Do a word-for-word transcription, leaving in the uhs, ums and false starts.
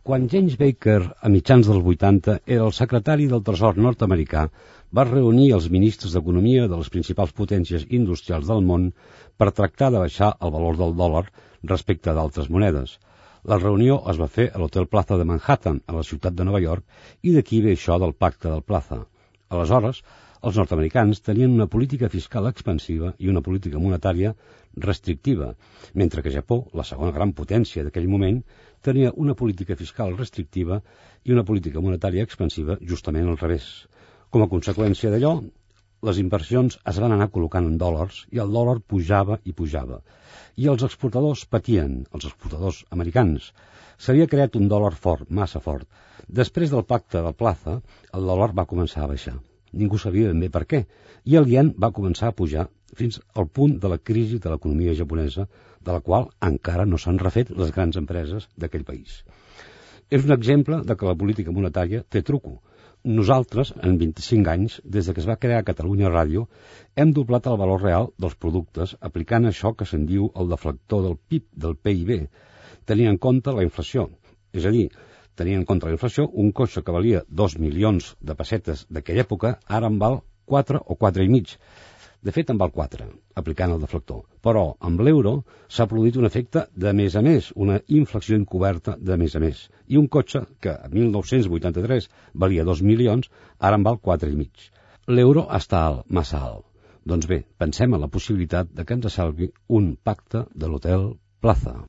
Quan James Baker, a mitjans dels vuitanta, era el secretari del Tresor nord-americà, va reunir els ministres d'Economia de les principals potències industrials del món per tractar de baixar el valor del dòlar respecte d'altres monedes. La reunió es va fer a l'Hotel Plaza de Manhattan, a la ciutat de Nova York, i d'aquí ve això del pacte del Plaza. Aleshores, els nord-americans tenien una política fiscal expansiva i una política monetària restrictiva, mentre que Japó, la segona gran potència d'aquell moment, tenia una política fiscal restrictiva i una política monetària expansiva justament al revés. Com a conseqüència d'allò, les inversions es van anar col·locant en dòlars i el dòlar pujava i pujava. I els exportadors patien, els exportadors americans. S'havia creat un dòlar fort, massa fort. Després del pacte del Plaza, el dòlar va començar a baixar. Ningú sabia ben bé per què, i el ien va començar a pujar fins al punt de la crisi de l'economia japonesa, de la qual encara no s'han refet les grans empreses d'aquell país. És un exemple de que la política monetària té truco. Nosaltres, en vint-i-cinc anys, des que es va crear Catalunya Ràdio, hem doblat el valor real dels productes aplicant això que se'n diu el deflector del P I B, del P I B, tenint en compte la inflació. És a dir, tenint en compte la inflació, un cotxe que valia dos milions de pessetes d'aquella època, ara en val quatre o quatre i mig. De fet, en val quatre, aplicant el deflector. Però, amb l'euro, s'ha produït un efecte de més a més, una inflació encoberta de més a més. I un cotxe que a mil nou-cents vuitanta-tres valia dos milions, ara en val quatre i mig. L'euro està alt, massa alt. Doncs bé, pensem en la possibilitat de que ens salvi un pacte de l'Hotel Plaza.